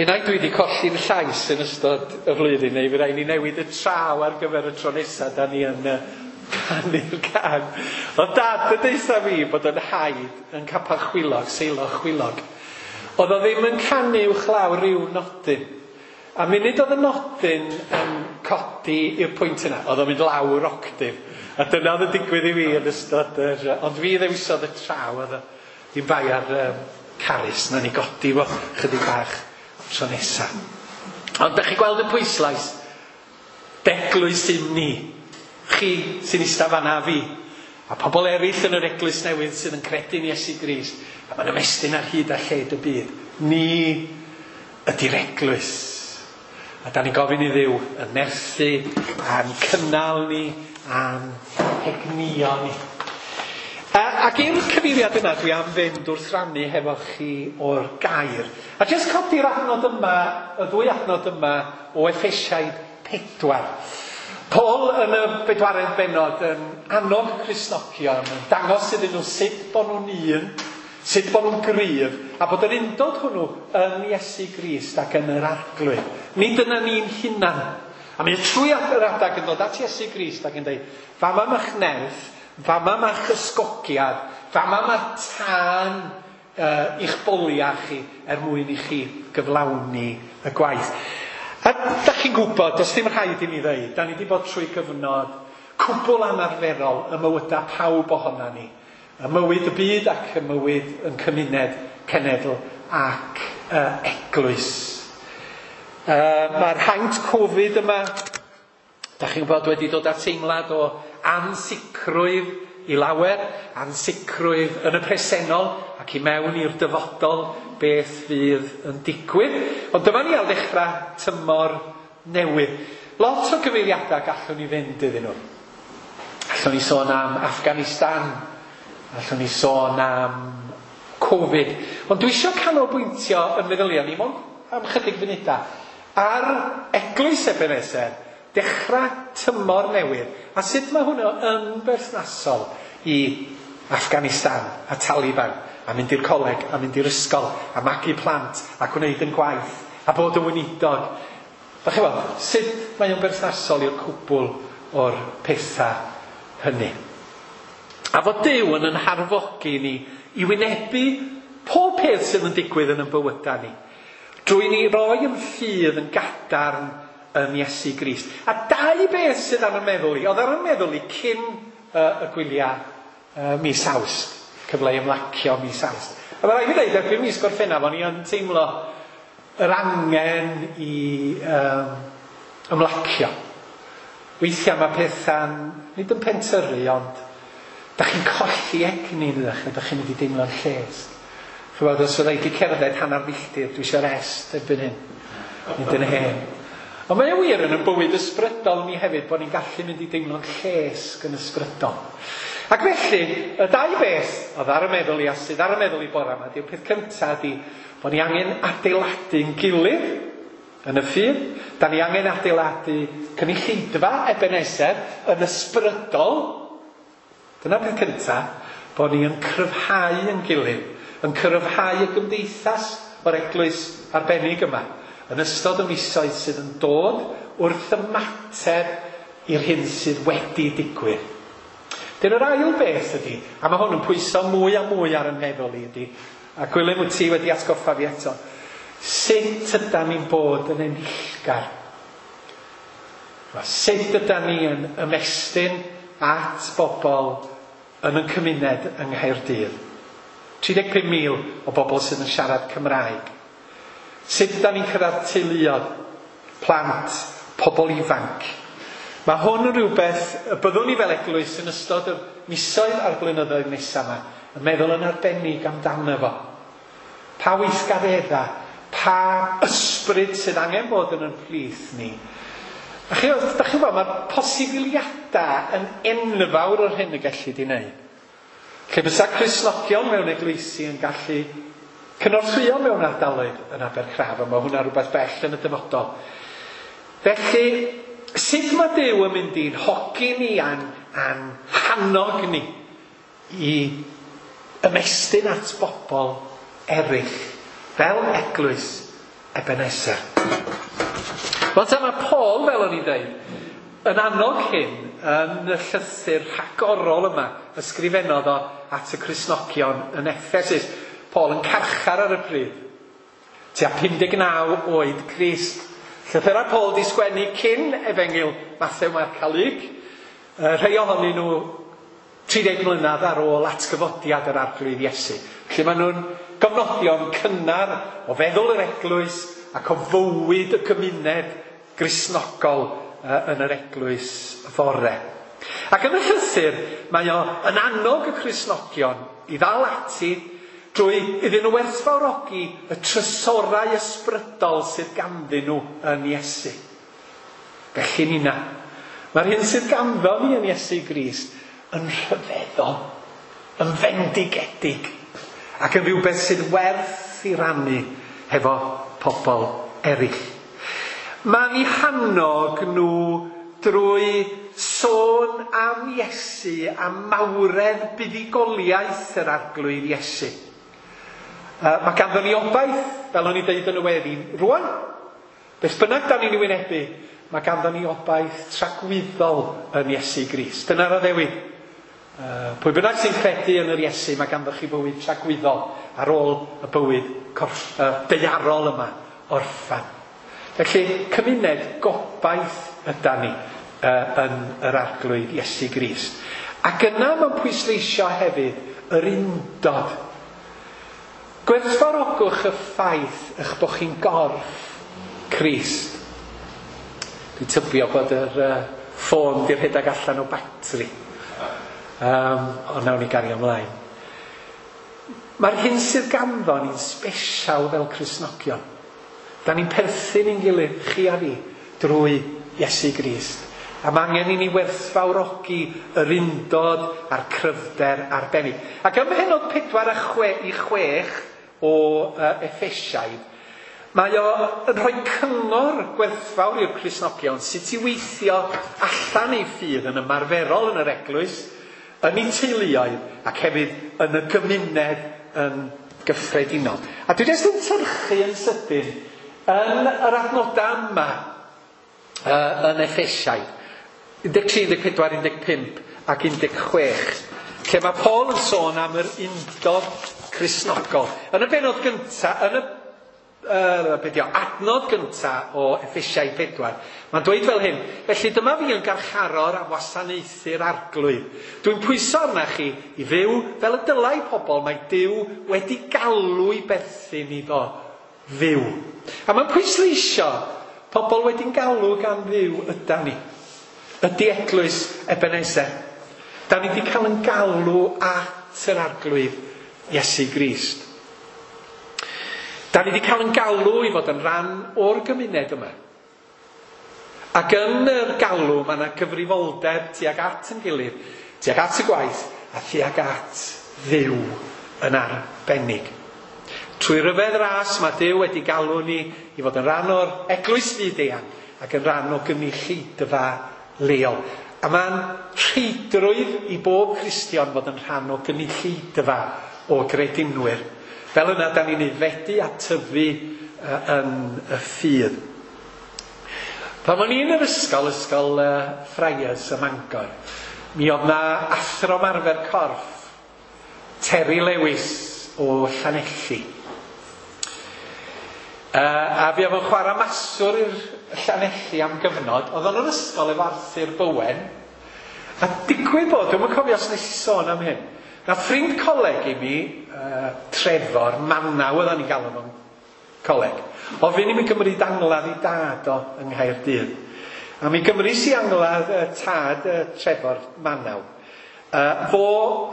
S1: Unai dwi wedi colli'n llais yn ystod y flwyddyn, neu fydd rhaid ni newid y traw ar gyfer y tro nesaf, da ni yn canu'r can. Oedd dad yn deutha fi bod yn haid yn capel chwilog, seilo chwilog. Oedd o ddim yn canu uwchlaw rhyw nodyn. A munud oedd y nodyn yn codi i'r pwynt yna, oedd o'n mynd lawr octif. A dyna oedd yn digwydd i fi yn ystod yr... Ond fi ddewisodd y traw, oedd o ddim bai ar Carys, na ni godi fo chydig bach tro nesa. Ond da chi gweld y pwyslais? D'eglwys ym ni. Chi sy'n eistedd fan'na a fi. A pobl eraill yn yr eglwys newydd sydd yn credu'n Iesu Grist. A mae'n ymestyn ar hyd a lled y byd. Ni ydy'r eglwys. A da ni'n gofyn i Dduw yn nerthu a'n cynnal ni a'n hegnio ni. Ac i'r cyfeiriad yna dwi am fynd wrth rannu hefo chi o'r gair. A jyst codi'r adnod yma, y ddwy adnod yma o Effesiaid 4. Paul yn y bedwaredd bennod yn annog Cristnogion, yn dangos iddyn nhw sut bod nhw'n un, sut bod nhw'n gryf, a bod yr undod hwnnw yn Iesu Grist ac yn yr Arglwydd. Nid yna ni'n hunan. A mae trwy yr adag yn dod at Iesu Grist ac yn dweud, fama ma'ch nerth, fama ma'ch ysgogiad, fama ma'r tân i'ch boliau chi er mwyn i chi gyflawni y gwaith. A da chi'n gwybod, does dim rhaid i mi ddeud, da ni wedi bod trwy gyfnod cwbl anarferol y mywydau pawb ohona ni. Y mywyd y byd ac y mywyd yn cymuned, cenedl ac eglwys. Mae'r haint Covid yma, da chi'n gwybod, wedi dod â teimlad o ansicrwydd i lawer, ansicrwydd yn y presennol ac i mewn i'r dyfodol beth fydd yn digwydd. Ond dyma ni ar ddechrau tymor newydd. Lot o gyfeiriadau gallwn ni fynd iddyn nhw. Allwn ni sôn am Afghanistan, allwn ni sôn am Covid. Ond dwi eisiau canolbwyntio yn meddyliau ni mond am chydig funudau ar eglwys Ebenezer, dechrau tymor newydd, a sut mae hwnnw yn berthnasol i Afghanistan a Taliban, a mynd i'r coleg, a mynd i'r ysgol, a magu plant, a gwneud yn gwaith, a bod yn weinidog. Da chi'n gweld, sut mae o'n berthnasol i'r cwbl o'r pethau hynny. A fod Duw yn yn harfogi ni i wynebu pob peth sydd yn digwydd yn ein bywydau ni, drwy ni roi yn ffydd yn gadarn yn Iesu Grist. A dau beth sydd ar y meddwl i, oedd ar y meddwl i cyn y gwyliau mis Awst, cyfle i ymlacio mis Awst. A mae rhaid fi ddeud, erbyn mis Gorffennaf, o'n i yn teimlo yr angen i ymlacio. Weithiau mae pethau'n, nid yn pentyrru, ond da chi'n colli egni, ydych chi, da chi'n mynd i deimlo'n lles. Chybod, os fydda i wedi cerdded hanner milltir, dwi eisiau rest erbyn hyn, nid yn hen. Ond mae o wir yn y bywyd ysbrydol ni hefyd, bod ni'n gallu mynd i deimlo'n llesg yn ysbrydol. Ac felly, y dau beth oedd ar y meddwl i a sydd ar y meddwl i bore yma, di'r peth cyntaf ydi bod ni angen adeiladu'n gilydd yn y ffydd. Da ni angen adeiladu cynulleidfa Ebenezer yn ysbrydol. Dyna'r peth cyntaf, bod ni yn cryfhau yn gilydd, yn cryfhau y gymdeithas o'r eglwys arbennig yma, yn ystod y misoedd sydd yn dod wrth ymateb i'r hyn sydd wedi digwydd. Dyna'r ail beth ydy, a mae hwn yn pwyso mwy a mwy ar y meddwl i ydy, a Gwilym wyt ti wedi atgoffa fi eto, sut ydan ni'n bod yn enillgar? Sut ydan ni yn ymestyn at bobl yn y cymuned yng Nghaerdydd? 35,000 o bobl sydd yn siarad Cymraeg. Sut ydan ni'n cyrraedd teuluoedd, plant, pobl ifanc? Mae hwn yn rhywbeth y byddwn ni fel eglwys yn ystod y misoedd a'r blynyddoedd nesaf yma yn meddwl yn arbennig amdano fo. Pa weithgareddau, pa ysbryd sydd angen bod yn ein plith ni. A chi, da chi'n gwybod, mae'r posibiliadau yn enfawr o'r hyn y gellid i wneud. Lle bysa Cristnogion mewn eglwysi yn gallu cynorthwyo mewn ardaloedd yn Abercraf, a mae hwnna rhywbeth bell yn y dyfodol. Felly, sut mae Duw yn mynd i'n hogi ni a'n hannog ni i ymestyn at bobl eraill fel eglwys Ebenezer. Wel, ta mae Paul, fel o'n i'n dweud, yn annog hyn yn y llythyr rhagorol yma ysgrifennodd o at y Cristnogion yn Effesus. Paul yn carchar ar y pryd. Tua 59 oed Crist. Llythyrau Paul di sgwennu cyn Efengyl Mathew, Marc a Luc. Rhai ohonyn nhw 30 mlynedd ar ôl atgyfodiad yr Arglwydd Iesu. Felly maen nhw'n gofnodion cynnar o feddwl yr eglwys ac o fywyd y gymuned Gristnogol yn yr eglwys fore. Ac yn y llythyr, mae o yn annog y Cristnogion i ddal ati drwy iddyn nhw werthfawrogi y trysorau ysbrydol sydd ganddyn nhw yn Iesu. Felly nina, mae'r hyn sydd ganddo ni yn Iesu Grist yn rhyfeddol, yn fendigedig, ac yn rhywbeth sydd werth i rannu hefo pobl eraill. Mae'n eu hannog nhw drwy sôn am Iesu, am mawredd buddugoliaeth yr Arglwydd Iesu. Mae ganddo ni obaith, fel o'n i dweud yn y weddi, rwan. Beth bynnag da ni'n ei wynebu, mae ganddo ni obaith tragwyddol yn Iesu Grist. Dyna'r addewid. Pwy bynnag sy'n credu yn yr Iesu, mae ganddo chi fywyd tragwyddol ar ôl y bywyd daearol yma orffan. Felly, cymuned gobaith yda ni yn yr Arglwydd Iesu Grist. Ac yna mae'n pwysleisio hefyd yr undod. Gwerthfawrogwch y ffaith eich bod chi'n gorff Crist. Dwi'n tybio bod yr ffôn di rhedeg allan o batri. Ond nawn ni gario ymlaen. Mae'r hyn sydd ganddo ni'n sbesial fel Cristnogion. Da ni'n perthyn i'n gilydd, chi a fi, drwy Iesu Grist. A mae angen i ni werthfawrogi yr undod a'r cryfder arbennig. Ac ym mhennod 4 a 6 o Effesiaid, mae o yn rhoi cyngor gwerthfawr i'r Cristnogion sut i weithio allan eu ffydd yn ymarferol yn yr eglwys, yn eu teuluoedd ac hefyd yn y gymuned yn gyffredinol. A dwi jyst yn tyrchu yn sydyn yn yr adnodau yma yn Effesiaid, 13, 14, 15 ac 16, lle mae Paul yn sôn am yr undod Cristnogol. Yn y bennod gyntaf, yn y adnod gyntaf o Effesiaid 4, mae'n dweud fel hyn: felly dyma fi yn garcharor am wasanaethu'r Arglwydd. Dwi'n pwyso arna chi i fyw fel y dylai pobl mae Duw wedi galw i berthyn iddo fyw. A mae'n pwysleisio pobl wedi'n galw gan Dduw yda ni. Ydy eglwys Ebenezer. Da ni wedi cael yn galw at yr Arglwydd Iesu Grist. Da ni wedi cael yn galw i fod yn rhan o'r gymuned yma. Ac yn yr galw mae yna gyfrifoldeb tuag at yn gilydd, tuag at y gwaith a tuag at Dduw yn arbennig. Trwy ryfedd ras mae Duw wedi galw ni i fod yn rhan o'r eglwys fyd-eang ac yn rhan o gynulleidfa leol. A mae'n rheidrwydd i bob Cristion fod yn rhan o gynulleidfa o gredinwyr. Fel yna, da ni'n aeddfedu a tyfu yn y ffydd. Pan o'n i yn yr ysgol, ysgol Friars ym Mangor, mi oedd na athro ymarfer corff, Terry Lewis o Llanelli. A fi oedd yn chwarae maswr i'r Llanelli am gyfnod. Oedd o'n yr ysgol efo Arthur Bowen. A digwydd bod, dwi'm yn cofio os nes i sôn am hyn, na ffrind coleg i mi, Trefor, Manaw oedden ni'n galw fo'n coleg, ofyn i mi gymryd angladd i dad o yng Nghaerdydd. A mi gymrys i angladd tad Trefor Manaw. Fo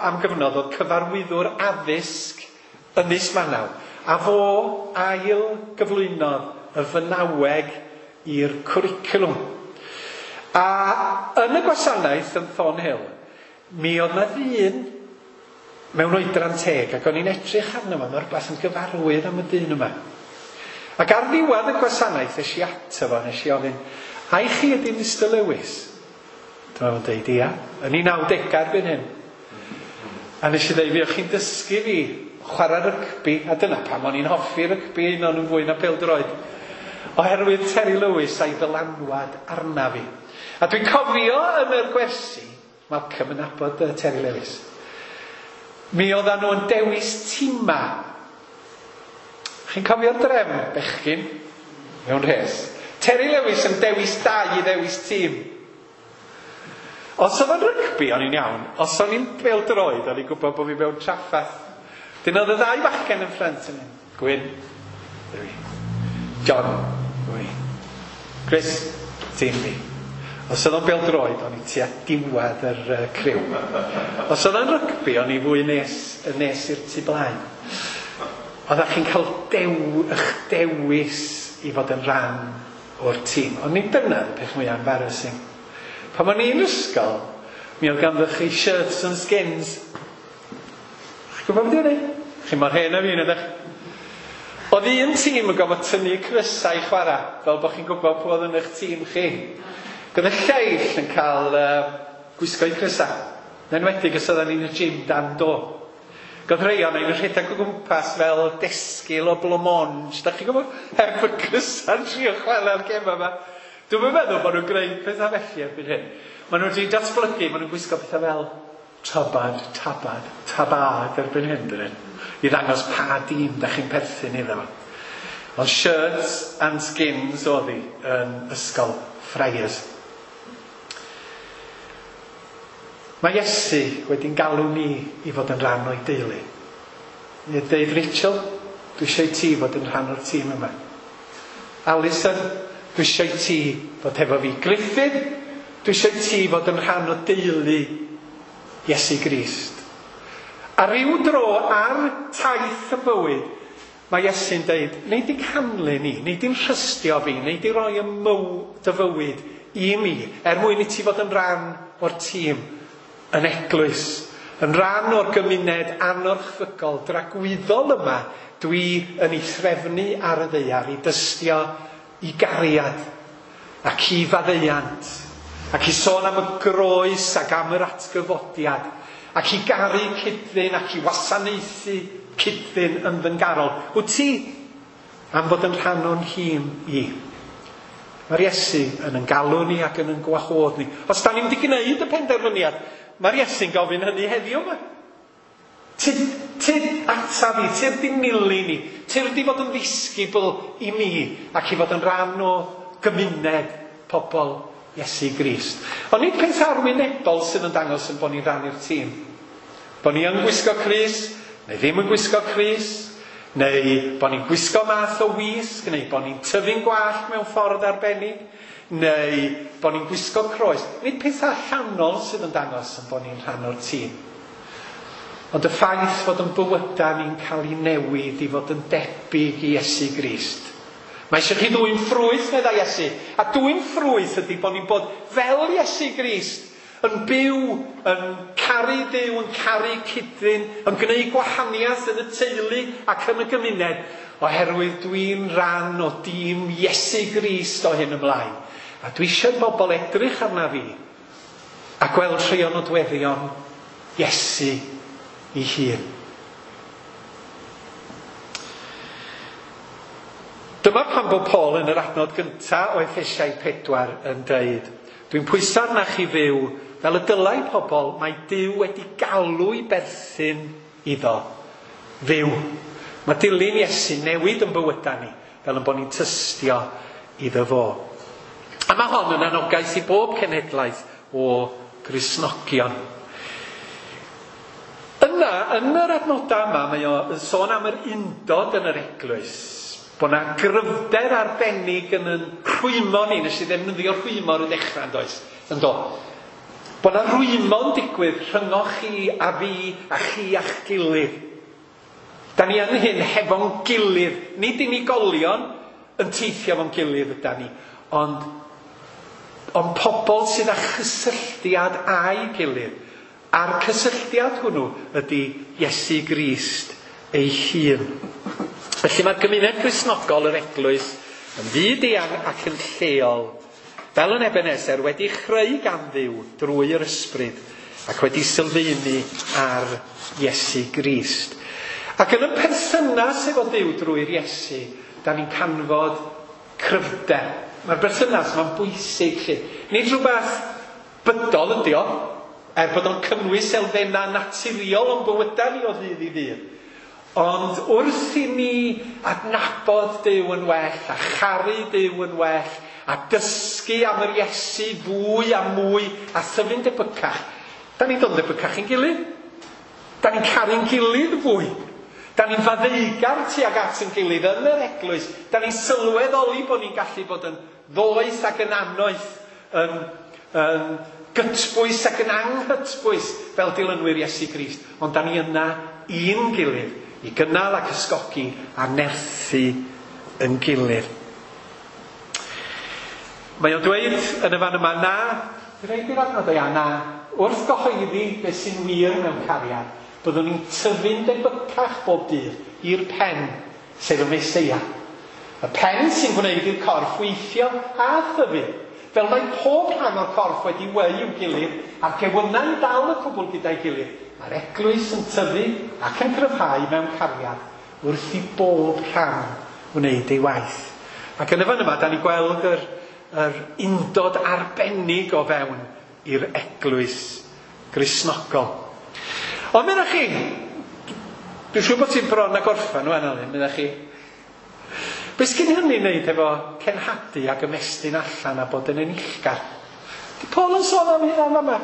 S1: am gyfnod oedd cyfarwyddwr addysg Ynys Manaw. A fo ail gyflwynodd y Fynaweg i'r cwricwlwm. A yn y gwasanaeth yn Thornhill, mi oedd na ddyn mewn oedran teg, ac o'n i'n edrych arno fo, mae rhywbeth yn gyfarwydd am y dyn yma. Ac ar ddiwedd y gwasanaeth, es i ato fo, nes i ofyn, ai chi ydy Mr Lewis? Dyma fo'n deud, ia, yn ei 90au erbyn hyn. A nes i ddeud, fuoch chi'n dysgu fi chwarae rygbi, a dyna pam o'n i'n hoffi rygbi un o'n fwy na pêl-droed. Oherwydd Terry Lewis a'i ddylanwad arna fi. A dwi'n cofio yn yr gwersi, Malcolm yn nabod Terry Lewis, mi oedden nhw'n dewis tima. Chi'n cofio'r drefn, bechgyn? Mewn rhes. Terry Lewis yn dewis dau i ddewis tîm. Os oedd o'n rygbi, o'n i'n iawn. Os o'n i'n bêl-droed, o'n i'n gwybod bod fi mewn trafferth. Dyn oedd y ddau fachgen yn ffrynt yn mynd. Gwyn, dwi. John, dwi. Chris, tîm fi. Os oedd o'n bêl-droed, o'n i tua diwedd yr criw. Os oedd o'n rygbi, o'n i fwy nes, nes i'r tu blaen. Oeddech chi'n cael eich dewis i fod yn rhan o'r tîm. Ond nid dyna y peth mwyaf embarrassing. Pan o'n i'n ysgol, mi oedd ganddo chi shirts and skins. Chi'n gwybod beth yw hynny? Chi mor hen a fi, ydych? Oedd un tîm yn gofod tynnu crysau i chwarae, fel bod chi'n gwybod pwy oedd yn eich tîm chi. Gyda lleill yn cael gwisgo'u crysau. Yn enwedig os oedden ni'n y gym dan do. Godd rhai o'n i'n rhedeg o gwmpas fel desgil o blancmange. Da chi'n gwybod? Heb y crysau'n trio chwarae'r gem yma. Dwi'm yn meddwl bod nhw'n gwneud pethau felly erbyn hyn. Maen nhw wedi datblygu, maen nhw'n gwisgo pethau fel tabad, tabad, tabad erbyn hyn, dyn. I ddangos pa dîm da chi'n perthyn iddo fo. Ond shirts and skins oedd hi yn ysgol Friars. Mae Iesu wedi'n galw ni i fod yn rhan o'i deulu. Ni dweud, Rachel, dwi eisiau i ti fod yn rhan o'r tîm yma. Alison, dwi eisiau i ti fod hefo fi. Griffith, dwi eisiau i ti fod yn rhan o deulu Iesu Grist. A ryw dro ar taith y bywyd, mae Iesu'n deud, nei di canlyn ni, nei di'n rhystio fi, nei di roi y dy fywyd i mi, er mwyn i ti fod yn rhan o'r tîm yn eglwys, yn rhan o'r gymuned anorchfygol dragwyddol yma, dwi yn ei threfnu ar y ddaear i dystio i gariad ac i faddeuant ac i sôn am y groes ac am yr atgyfodiad ac i garu cyd-ddyn ac i wasanaethu cyd-ddyn yn ddyngarol. Wyt ti am fod yn rhan o'n nhîm i? Mae'r Iesu yn yn galw ni ac yn yn gwahodd ni. Os da ni'n wedi gwneud y penderfyniad, mae'r Iesu'n gofyn hynny heddiw yma. Tyd ata fi, tyd di nilyn ni, tyd di fod yn ddisgybl i mi ac i fod yn rhan o gymuned pobl Iesu Grist. Ond nid peth arwynebol sydd yn dangos yn bod ni'n rhan i'r tîm. Bod ni yn gwisgo crys, neu ddim yn gwisgo crys, neu bod ni'n gwisgo math o wisg, neu bod ni'n tyfu'n gwallt mewn ffordd arbennig, neu bod ni'n gwisgo croes. Nid pethau allanol sydd yn dangos yn bod ni'n rhan o'r tîm. Ond y ffaith fod yn bywydau ni'n cael ei newid i fod yn debyg i Iesu Grist. Mae eisiau chi ddwyn ffrwyth, meddai Iesu. A dwyn ffrwyth ydy bod ni'n bod fel Iesu Grist, yn byw, yn caru Duw, yn caru cyd-ddyn, yn gwneud gwahaniaeth yn y teulu ac yn y gymuned, oherwydd dwi'n rhan o dîm Iesu Grist o hyn ymlaen. A dwi eisiau bobl edrych arna fi a gweld rhai o nodweddion Iesu ei hun. Dyma pam bod Paul yn yr adnod gyntaf o Effesiaid 4 yn deud, dwi'n pwyso arnach chi fyw fel y dylai pobl mae Duw wedi galw i berthyn iddo fyw. Mae dilyn Iesu newid yn bywydau ni fel yn bod ni'n tystio iddo fo. A mae hon yn anogaeth i bob cenhedlaeth o Gristnogion. Yna, yn yr adnodau yma, mae o yn sôn am yr undod yn yr eglwys. Bod yna gryfder arbennig yn yn rhwymo ni. Nes i ddefnyddio rhwymo ar y dechrau, yn does? Yn do. Bod yna rhwymo'n digwydd rhyngoch chi a fi a chi a'ch gilydd. Da ni yn hyn hefo'n gilydd. Nid unigolion yn teithio efo'n gilydd yda ni, ond pobl sydd â chysylltiad â'i gilydd. A'r cysylltiad hwnnw ydy Iesu Grist ei hun. Felly mae'r gymuned Gristnogol yr eglwys yn fyd-eang ac yn lleol, fel yn Ebenezer, wedi chreu gan Dduw drwy yr ysbryd, Ac wedi sylfaenu ar Iesu Grist. Ac yn y perthynas efo Duw drwy'r Iesu, da ni'n canfod cryfder. Mae'r berthynas yma'n bwysig, lly. Nid rhywbeth bydol ydi o, er bod o'n cynnwys elfennau naturiol o'n bywydau ni o ddydd i ddydd. Ond wrth i ni adnabod Duw yn well, a charu Duw yn well, a dysgu am yr Iesu fwy a mwy, a thyfu'n debycach, da ni'n dod yn debycach i'n gilydd. Da ni'n caru'n gilydd fwy. Da ni'n faddeugar tuag at yn gilydd yn yr eglwys. Da ni'n sylweddoli bod ni'n gallu bod yn ddoeth ac yn annoeth, yn gytbwys ac yn anghytbwys fel dilynwyr Iesu Grist. Ond da ni yna i'n gilydd i gynnal ac ysgogi a nerthu yn gilydd. Mae o'n dweud yn y fan yma, na, rhaid i'r adnod o ia, na, wrth gyhoeddi beth sy'n wir mewn cariad, byddwn ni'n tyfu'n debycach bob dydd i'r pen, sef y Meseia. Y pen sy'n gwneud i'r corff weithio a thyfu. Fel mae pob rhan o'r corff wedi weu i'w gilydd a'r gewynnau'n dal y cwbl gyda'i gilydd, mae'r eglwys yn tyfu ac yn cryfhau mewn cariad wrth i bob rhan wneud ei waith. Ac yn y fan yma, da ni'n gweld yr undod arbennig o fewn i'r eglwys Gristnogol. Ond meddach chi, dwi'n siŵr bod ti'n bron a gorffen wan, Alun, meddach chi. Be sgyn hynny wneud efo cenhadu ac ymestyn allan a bod yn enillgar? Di Paul yn sôn am hynna yma?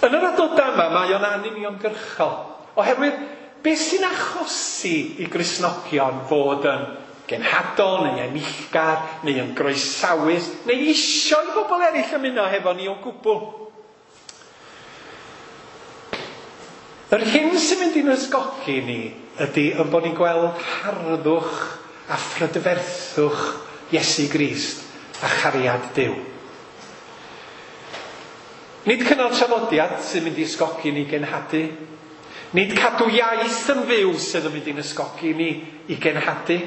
S1: Yn yr adnodau yma, mae o'n anuniongyrchol. Oherwydd, beth sy'n achosi i Gristnogion fod yn genhadol neu enillgar neu yn groesawus neu isio i bobl eraill ymuno hefo ni o gwbl? Yr hyn sy'n mynd i'n ysgogi ni ydy yn bod ni'n gweld harddwch a phrydferthwch Iesu Grist a chariad Duw. Nid cynnal traddodiad sy'n mynd i ysgogi ni genhadu. Nid cadw iaith yn fyw sydd yn mynd i'n ysgogi ni i genhadu.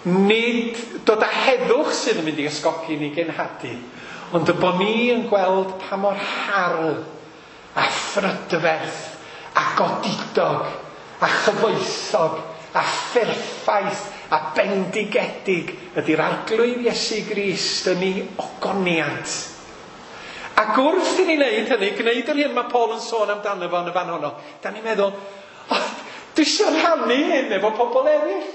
S1: Nid dod â heddwch sydd yn mynd i ysgogi ni genhadu. Ond y bod ni yn gweld pa mor hardd a phrydferth a godidog a chyfoethog a pherffaith a bendigedig ydy'r Arglwydd Iesu Grist yn ei ogoniant. Ac wrth i ni wneud hynny, gwneud yr hyn mae Paul yn sôn amdano fo yn y fan honno, da ni'n meddwl, oh, dwi eisiau rhannu hyn efo pobl eraill.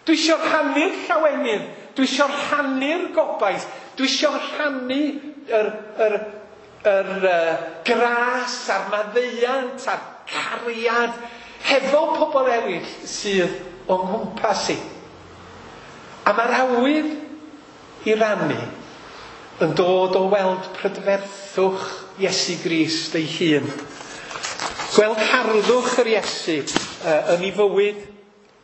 S1: Dwi eisiau rhannu'r llawenydd, dwi eisiau rhannu'r gobaith, dwi eisiau rhannu yr gras a'r maddeuant a'r cariad hefo pobl eraill sydd o'n nghwmpas i. A mae'r awydd i rannu yn dod o weld prydferthwch Iesu Grist ei hun. Gweld harddwch yr Iesu yn ei fywyd,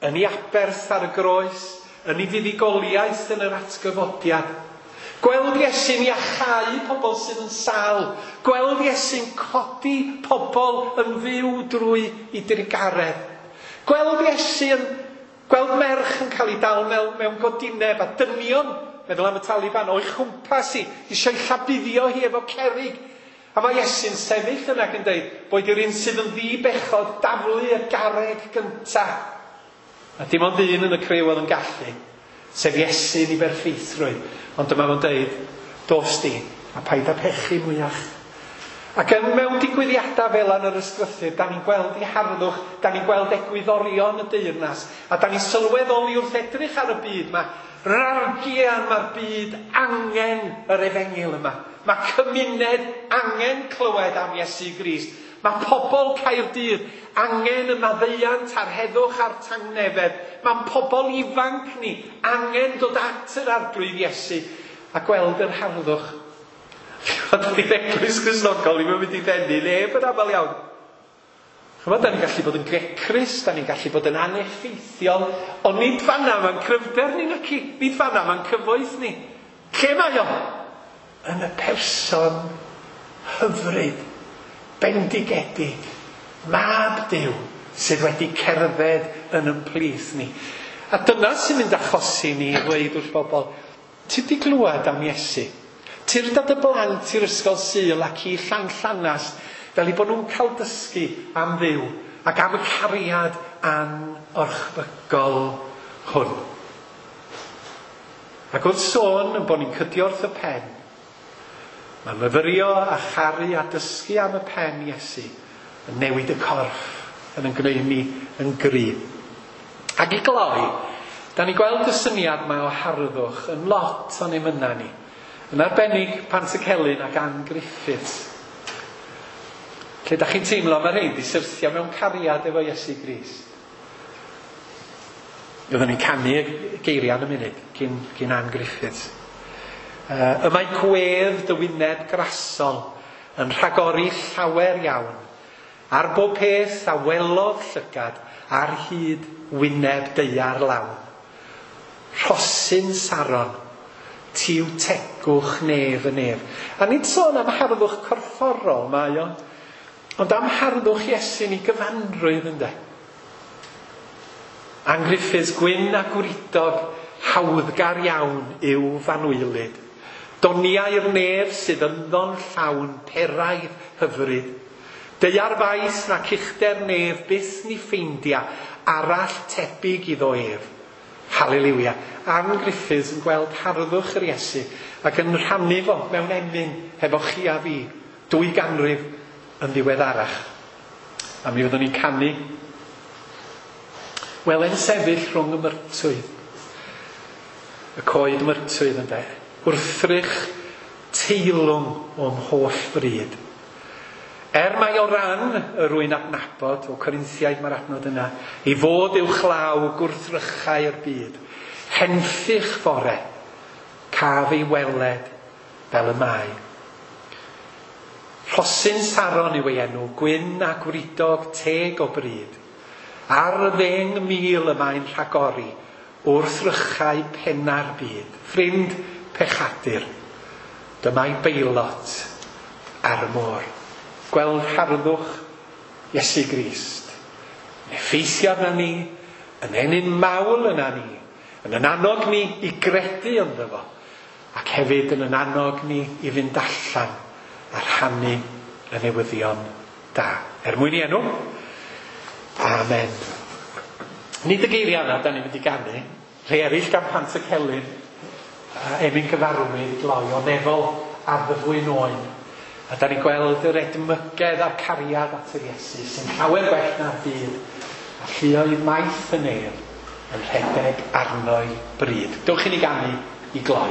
S1: yn ei aberth ar y groes, yn ei fuddugoliaeth yn yr atgyfodiad. Gweld Iesu'n iachau pobl sydd yn sâl. Gweld Iesu'n codi pobl yn fyw drwy ei drugaredd. Gweld Iesu'n gweld merch yn cael ei dal mewn godineb a dynion, meddwl am y Taliban, o'i chwmpas hi, eisiau llabuddio hi efo cerrig. A mae Iesu'n sefyll yna ac yn dweud, boed i'r un sydd yn ddi-bechod daflu y garreg gynta. A dim ond un yn y criw oedd yn gallu, sef Iesu'n ei berffeithrwydd. Ond dyma fo'n dweud, dos di, a paid â pechu mwyach. Ac yn mewn digwyddiadau fel yn yr ysgrythur, da ni'n gweld ei harddwch, da ni'n gweld egwyddorion y deyrnas, a da ni'n sylweddoli wrth edrych ar y byd yma, rargian mae'r byd angen yr efengyl yma. Mae cymuned angen clywed am Iesu Grist. Mae pobl Caerdydd angen y maddeuant a'r heddwch a'r tangnefedd. Mae'n pobl ifanc ni angen dod at yr Arglwydd Iesu a gweld yr harddwch. Dydy'r eglwys Gristnogol ddim yn mynd i ddenu neb yn aml iawn. Chymod, da ni'n gallu bod yn grecrus, da ni'n gallu bod yn aneffeithiol, ond nid fanna mae'n cryfder ni naci, nid fanna mae'n cyfoeth ni. Lle mae o? Yn y person hyfryd, bendigedig, mab Duw sydd wedi cerdded yn ymplith ni. A dyna sy'n mynd achosi ni i ddweud wrth bobl, ti di glywed am Iesu? Tyrd â dy blant i'r ysgol Sul ac i Llanllanast fel eu bod nhw'n cael dysgu am Dduw ac am y cariad anorchfygol hwn. Ac wrth sôn yn bod ni'n cydio wrth y pen, mae myfyrio a charu a dysgu am y pen Iesu yn newid y corff yn yn gwneud ni yn gry. Ac i gloi, da ni gweld y syniad yma o harddwch yn lot o'n emynau ni. Yn arbennig Pantycelyn ac Ann Griffiths. Lle da chi'n teimlo mae rhaid i syrthio mewn cariad efo Iesu Grist. Oedden ni'n canu geiriau yn y munud cyn Ann Griffiths. Y mae gwedd dy wyneb grasol yn rhagori llawer iawn ar bob peth a welodd llygad ar hyd wyneb daear lawn. Rhosyn Saron, tiw tegwch nef y nef. A nid sôn am harddwch corfforol mae o, ond am harddwch Iesu'n ei gyfanrwydd ynde. Ann Griffiths, gwyn a gwridog, hawddgar iawn yw fanwylyd. Doniau'r nef sydd ynddo'n llawn peraidd hyfryd. Daear faes nac uchder nef byth ni ffeindia arall tebyg iddo ef. Haleliwia. Ann Griffiths yn gweld harddwch yr Iesu ac yn rhannu fo mewn emyn hefo chi a fi 2 ganrif yn ddiweddarach. A mi fyddwn ni'n canu. Wele'n sefyll rhwng y myrtwydd. Y coed myrtwydd ynde. Wrthrych teilwng o'm holl fryd. Mai o ran y rwy'n adnabod, o Corinthiaid mae'r adnod yna, i fod uwchlaw gwrthrychau'r byd, henffych fore, caf ei weled fel y mae. Rhosyn Saron yw ei enw, gwyn a gwridog teg o bryd. Ar y 10,000 y mae'n rhagori, wrthrychau penna'r byd. Ffrind pechadur, dyma'i beilot ar y môr. Gweld harddwch Iesu Grist. Yn effeithio arna ni, yn ennyn mawl yna ni, yn yn annog ni i gredu ynddo fo, ac hefyd yn yn annog ni i fynd allan a rhannu y newyddion da. Er mwyn i enw, amen. Nid y geiriau yna da ni'n mynd i ganu, rhai eraill gan Pantycelyn, emyn gyfarwydd i gloi o nefol addfwyn oen. A da ni'n gweld yr edmygedd a'r cariad at yr Iesu sy'n llawer gwell na'r byd, a lluoedd maith y nef yn rhedeg arno'i bryd. Dewch i ni ganu i gloi.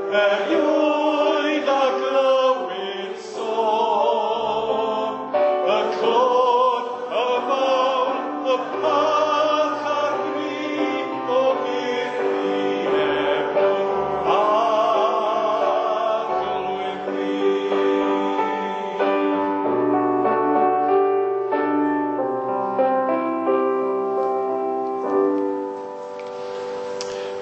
S5: Erioed a glywyd sôn, y clod, y
S1: Pob parch a'r bri o byth i efo, Arglwydd fi.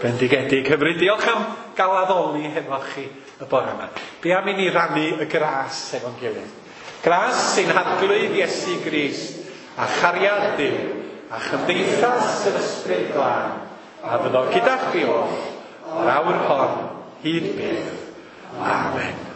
S1: Bendigedig hyfryd, diolch am gael addoli hefo chi y bore yma. Be am i ni rannu y gras efo'n gilydd? Gras sy'n Harglwydd Iesu Grist a chariad Duw a chymdeithas yr Ysbryd Glân a fyddo gyda chi oll o'r awr hon hyd byth. Amen.